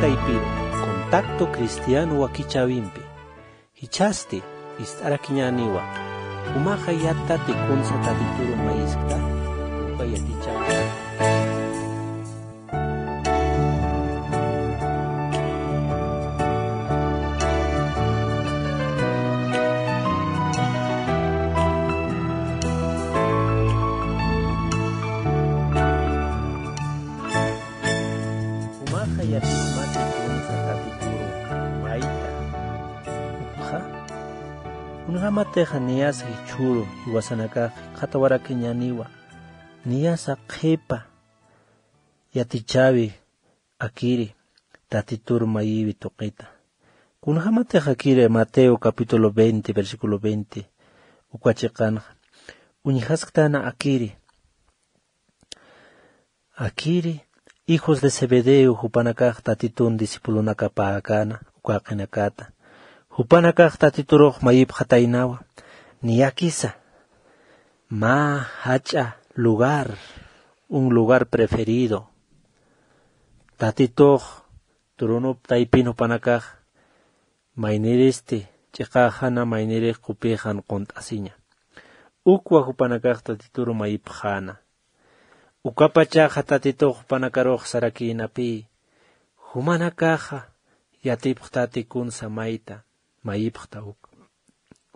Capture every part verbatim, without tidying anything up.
Contacto Cristiano wakichäwimpi. Jichhasti ist'arakiñäniwa. Jumaxa yattati kunsa Tatituru mayiskta, uka yatichäwi. Jumaxa yatichmati kunsa Tatituru mayta. Ukxa, kunjämatixa niyasa jichhüru jiwasanakax jikxatawarakiñäniwa, niyasa qhipa yatichäwi akiri Tatitur mayiwi tuqita. Kunjämatix akiri Mateo capítulo veinte, versículo veinte, uka chiqanxa uñjasktana akiri. Akiri, hijos de Zebedeo, jupanakax Tatitun discipulonakapäkäna, uka jaqinakata. Jupanakax Tatiturux mayipxataynawa, niyakisa, mä jach'a lugar, un lugar preferido. Tatitux turunop taypin jupanakax, mayniristi, ch'iqaxana maynirix qupixan qunt'asiña. Ukwa jupanakax Tatituru mayipxäna. Ukapachaxa Tatitux jupanakarux sarakïnapï, jumanakaxa yatipxtati kunsa mayta, mayipxta uk.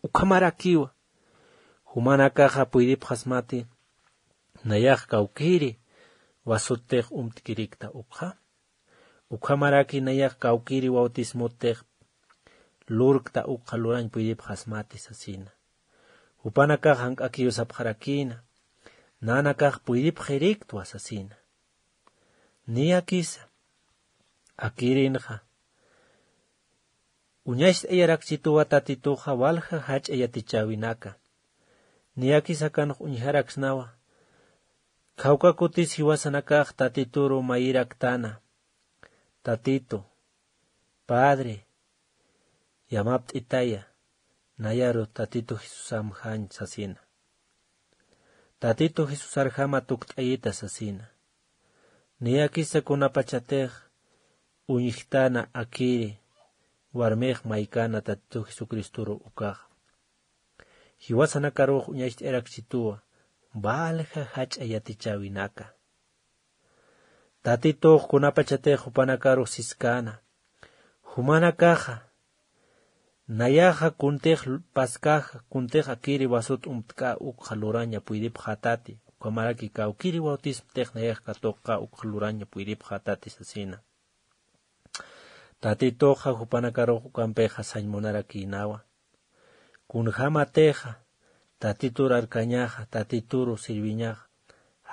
Ukhamarakiwa, jumanakaxa puydipxasmati, nayax kawkïri, wasuttix umtkirikta ukxa. Ukhamaraki nayax kawkïri bautismotix lurkta ukxa lurañ puydipxasmati sasina. Jupanakax jank'akiw sapxarakïna, nanakax puydipxiriktwa sasina. Niyakisa, akïrinxa, uñacht'ayarakchituwa Tatituxa walja jach'a yatichäwinaka. Niyakisa akanx uñjaraksnawa, khawka kutis jiwasanakax Tatituru mayiraktana, Tatitu, Padre, yamapt'itaya, nayaru Tatitu Jesusamjañ sasina. Tatitu Jesusarjama tukt'ayita sasina. Niyakisa kunapachatix uñjtana akiri, warmix maykana Tatitu Jesucristoru ukaxa. Jiwasanakarux uñacht'ayarakchituwa, walja jach'a yatichäwinaka. Tatitux kunapachatix jupanakarux siskäna, jumanakaxa, nayaxa kuntix paskäxa, kuntix akiri wasut umtk'a ukxa luraña puydipxätati, ukhamaraki kawkïri bautismotix nayax katuqxa ukxa luraña puydipxätati sasina. Tatituxa jupanakarux ukampixa sañ munarakïnawa. Kunjämatixa, Tatitur arkañaxa, Tatituru sirviñaxa,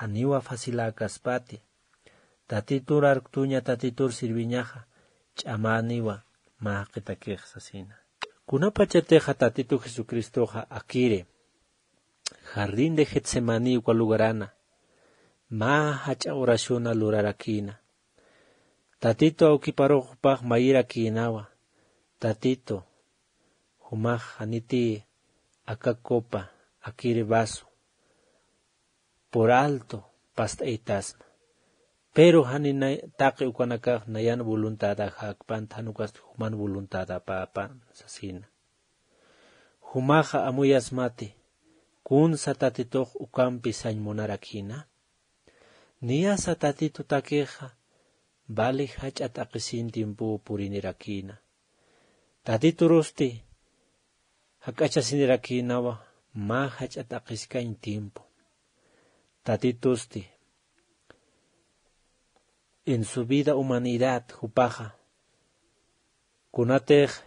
janiwa faciläkaspati. Tatitur arktuña, Tatitur sirviñaxa, ch'amäniwa mä jaqitakix sasina. Kunapachatixa Tatitu Jesucristoxa akiri, Jardín de Getsemaní uka lugarana, mä jach'a oraciona lurarakïna. Tatitu awkiparux jupax mayirakïnawa, Tatitu, jumax janiti aka copa, akiri vaso, por alto past'aytasma. Pero jani nay-, taqi ukanakax nayan voluntadaxäkpant, jan ukasti juman voluntadapäpan sasina. Jumaxa amuyasmati, kunsa Tatitux ukampi sañ munarakïna. Niyasa Tatitutakixa, vali jach'a t'aqhisin tiempow purinirakïna. Tatiturusti jak'achasinirakïnawa, mä jach'a t'aqhiskañ tiempo. Tatitusti, en su vida humanidad, jupaxa, kunatix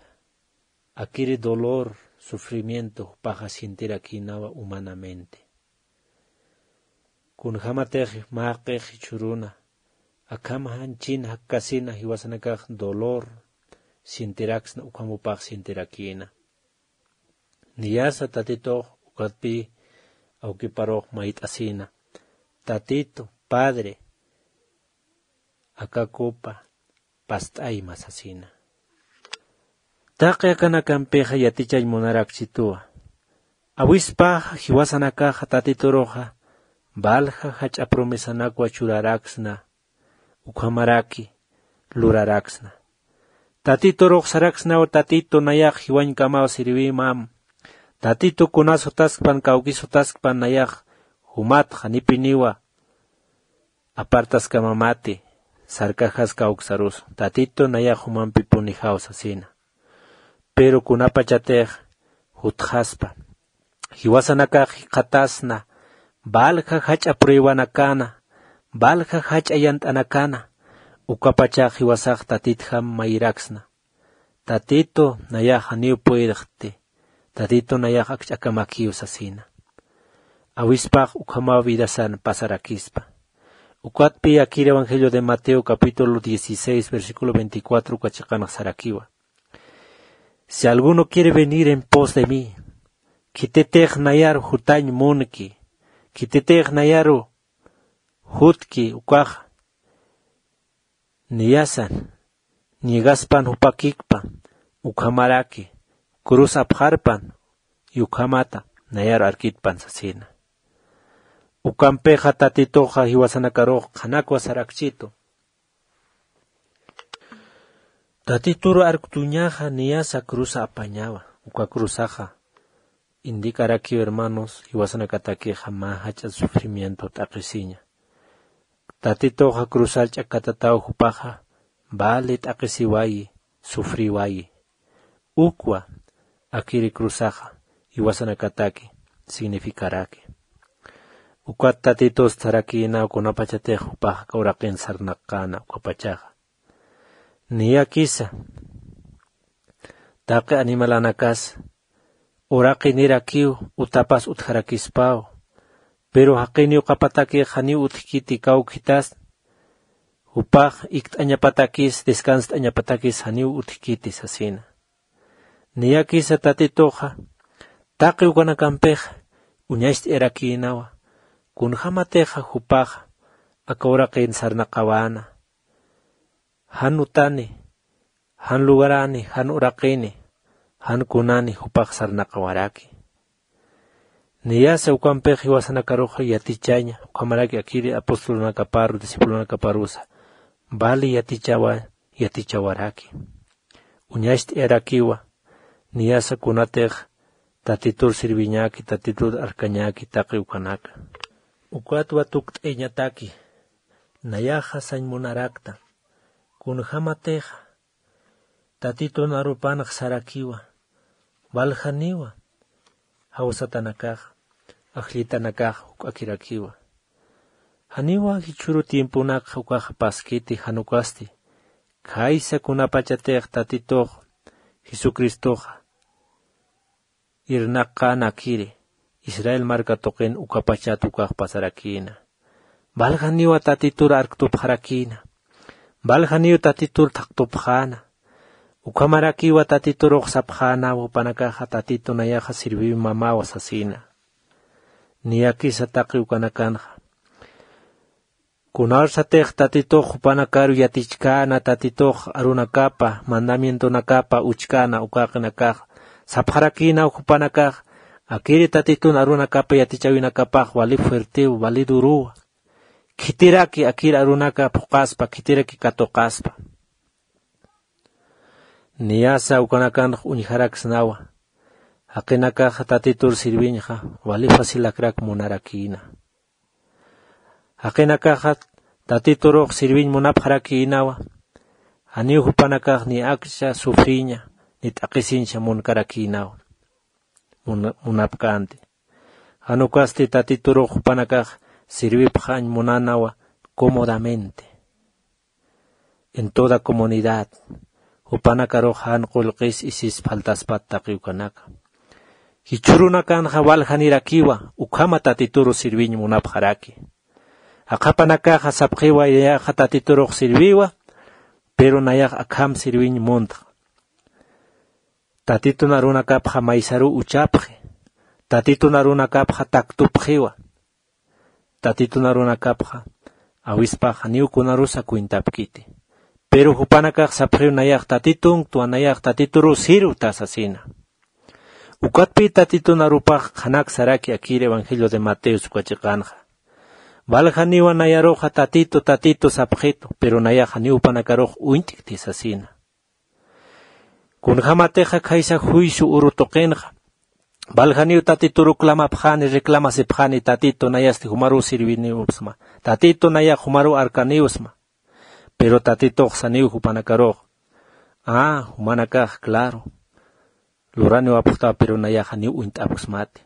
akiri dolor, sufrimiento, jupaxa sientirakïnawa humanamente. Kunjämatix mä jaqix jichhüruna, akham jan chin jakkasina jiwasanakax dolor sientiraksna, ukham jupax sientirakïna. Niyasa Tatitux ukatpï awkiparux mayt'asïna, Tatitu, Padre, aka copa past'ayma sasina. Taqi akanakampixa yatichañ munarakchituwa. Awispaxa jiwasanakaxa Tatituruxa, valja jach'a promesanakwa churaraksna, ukhamaraki luraraksna. Tatiturux saraksnaw: Tatitu, nayax jiwañkamaw sirwimam. Tatitu, kunas jutaskpan, kawkis jutaskpan, nayax jumat janipiniwa apartaskamamati, sarkajas kawksarusa. Tatitu, nayax jumampipunijaw sasina. Pero kunapachatix jutxaspa, jiwasanakax jikxatasna, valja jach'a pruebanakana, valja jach'a yant'anakana, ukapachax jiwasax Tatitjam mayiraksna: Tatitu, nayax janiw puedxti, Tatitu, nayax akch'akamakiw sasina. Awispax ukhamaw vidasan pasarakispa. Ukatpi akir Evangelio de Mateo capítulo dieciséis, versículo veinticuatro uka chiqanx sarakiwa: Si alguno quiere venir en pos de mí, khitirix nayaru jutañ munki, khitirix nayaru jutki ukax, niyasan, niegaspan jupakikpa, ukhamaraki, cruz apxarpan, y ukhamata nayaru arkitpan sasina. Ukampixa Tatituxa jiwasanakarux qhanakwa sarakchitu. Tatituru arktuñaxa niyasa cruza apañawa, uka cruzaxa indicarakiw, hermanos, jiwasanakatakixa mä jach'a sufrimiento t'aqhisiña. Tatituxa cruzar ch'akatataw jupaxa, vale t'aqhisiwayi, sufriwayi. Ukwa akiri cruzaxa jiwasanakataki significaraki. Ukat Tatitus sarakïna kunapachatix jupax aka uraqin sarnaqäna ukapachaxa. Niyakisa taqi animalanakas uraqinirakiw utapas utjarakispaw, pero jaqiniw ukapatakix janiw utjkiti, kawkhitas jupax ikt'añapatakis, descanst'añapatakis janiw utjkiti sasina. Niyakisa Tatituxa taqi ukanakampix uñacht'ayarakïnawa, kunjämatixa jupaxa aka uraqin sarnaqawäna, jan utani, jan lugarani, jan uraqini, jan kunani jupax sarnaqawaraki. Niyasa ukampix jiwasanakarux yatichaña, ukhamaraki akiri apostolunakaparu, discipulunakaparusa vali yatichawa, yatichawaraki. Uñacht'ayarakiwa, niyasa kunatix Tatitur sirviñäki, Tatitur arkañäki taqi ukanaka. Ukatwa tukt'ayañataki, nayaxa sañ munarakta, kunjämatixa Tatitun arupanx sarakiwa, valjaniwa jawsatanakax, ajllitanakax juk'akirakiwa. Janiwa jichhüru tiemponakxa ukax paskiti, jan ukasti khaysa kunapachatix Tatitux Jesucristoxa irnaqänakiri Israel marka tuqin ukapachat ukax pasarakïna. Valjaniwa Tatitur arktupxarakïna. Valjaniw Tatitur thaqtupxäna. Ukhamarakiwa Tatiturux sapxäna jupanakaxa Tatitu nayaxa sirviwimamawa sasïna. Niyakisa taqi ukanakanxa. Kunarsatix Tatitux jupanakaru yatichkäna, Tatitux arunakapa, mandamientonakapa uchkäna ukaqinakax, sapxarakïnaw jupanakax, akiri Tatitun arunakapa yatichäwinakapax wali fuertew, wali duruwa. Khitiraki akir arunaka phuqaspa, khitiraki katuqaspa. Niyasa ukanakanx uñjaraksnawa, jaqinakaxa Tatitur sirviñxa wali facilakrak munarakïna. Jaqinakaxa Tatiturux sirviñ munapxarakïnawa, janiw jupanakax ni akcha sufriña, ni t'aqhisiñcha munkarakïnawa. Muna-, munapkänti. Jan ukasti Tatiturux jupanakax sirvipxañ munänawa cómodamente. En toda comunidad, jupanakarux jan qullqis isis faltaspat taqi ukanaka. Jichhürunakanxa valjanirakiwa, ukhama Tatituru sirviñ munapxaraki. Aqhapanakaxa sapxiwa nayaxa Tatiturux sirviwa, pero nayax akham sirviñ muntxa. Tatitun arunakapxa maysaruw uchapxi. Tatitun arunakapxa taktupxiwa. Tatitun arunakapxa awispax janiw kunarusa cuentapkiti. Pero jupanakax sapxiw nayax Tatituntwa, nayax Tatituruw sirwta sasina. Ukatpï Tatitun arupax qhanak saraki akir Evangelio de Mateo uka chiqanxa. Valjaniwa nayaruxa Tatitu, Tatitu sapxitu, pero nayax janiw jupanakarux uñt'kti sasina. Kunjämatixa khaysa juicio uru tuqinxa, valjaniw Tatitur uklamapxani, reclamasipxani: Tatitu, nayasti jumaruw sirviniwsma. Tatitu, nayax jumaruw arkaniwsma. Pero Tatitux saniw jupanakarux: Ah, jumanakax, claro, luraniwapxtaw, pero nayax janiw uñt'apksmati.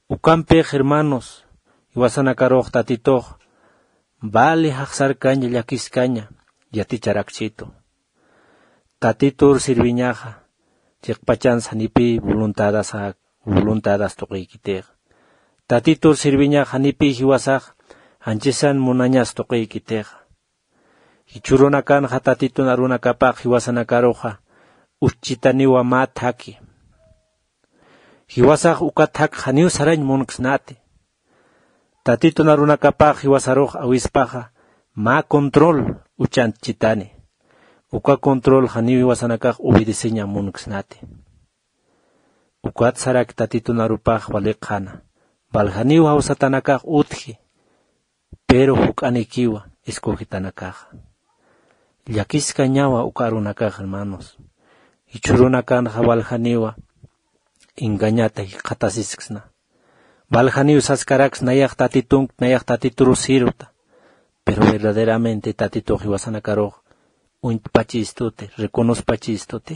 Ukampix, hermanos, jiwasanakarux Tatitux vali jaxsarkaña, llakiskaña yaticharakchitu. Tatitur sirviñaxa chiqpachansa janipï voluntadasa, voluntadas tuqiykitixa. Tatitur sirviñaxa janipï jiwasax janchisan munañas tuqiykitixa. Jichhürunakanxa Tatitun arunakapax jiwasanakaruxa ucht'chitaniwa mä thaki. Jiwasax uka thak janiw sarañ munksnati. Tatitun arunakapax jiwasarux awispaxa mä control uchantchitani. Uka control janiw jiwasanakax obedeceña munksnati. Ukat sarak Tatitun arupax waliqxana. Valjaniw jawsatanakax utji, pero juk'anikiwa escogetanakaxa. Llakiskañawa uka arunakax, hermanos. Jichhürunakanxa valjaniwa engañata jikxatasisksna. Valjaniw saskaraks: Nayax Tatitunkt, nayax Tatituru sirvta. Pero verdaderamente Tatitux jiwasanakarux uñt'pachistuti, reconocpachistuti.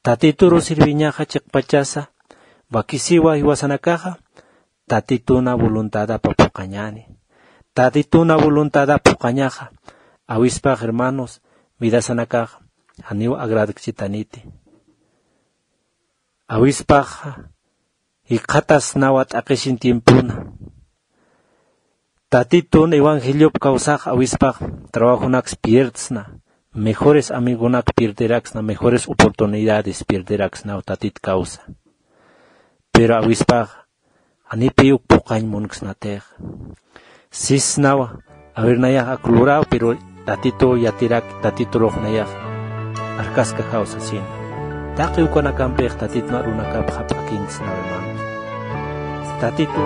Tatituru sirviñaxa chiqpachasa wakisiwa jiwasanakaxa Tatituna voluntadapa phuqañani. Tatituna voluntadapa phuqañaxa awispax, hermanos, vidasanakax janiw agradkchitaniti. Awispaxa jikxatasnawa t'aqisin tiempona. Tatitun evangeliop kawsax awispax trabajonaks pierdsna, mejores amigonak pierderaksna, mejores oportunidades pierderaksnaw Tatit kawsa. Pero awispax janipï uk phuqañ munksnatix. Sisnawa, a ver, nayax ak luraw, pero Tatitu yatirak, Tatiturux nayax arkaskaxaw sasin. Taqi ukanakampix Tatitun arunakap jap'akinksnaw, hermanos. Tatitu